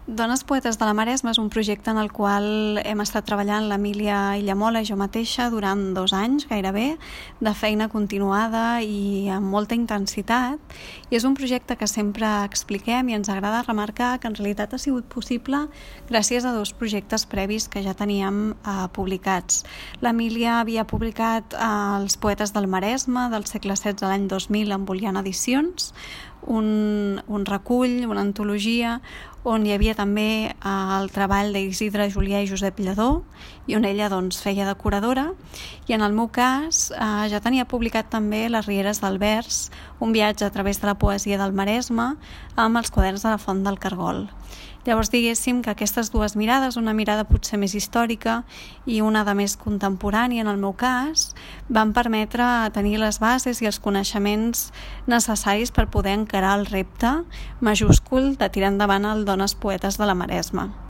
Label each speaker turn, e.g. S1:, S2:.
S1: Dones Poetes de la Maresma és un projecte en el qual hem estat treballant l'Emília Illamola i jo mateixa durant 2 anys gairebé, de feina continuada i amb molta intensitat. I és un projecte que sempre expliquem i ens agrada remarcar que en realitat ha sigut possible gràcies a 2 projectes previs que ja teníem publicats. L'Emília havia publicat Els Poetes del Maresme del segle XVI l'any 2000 amb Oliana Edicions, un recull, una antologia on hi havia també el treball d'Isidre Julià i Josep Lledó i on ella feia de curadora, i en el meu cas ja tenia publicat també Les Rieres del Vers, un viatge a través de la poesia del Maresme amb els quaderns de la Font del Cargol. Llavors diguéssim que aquestes 2 mirades, una mirada potser més històrica i una de més contemporània en el meu cas, van permetre tenir les bases i els coneixements necessaris per poder encarar el repte majúscul de tirar endavant el Dones Poetes de la Maresma.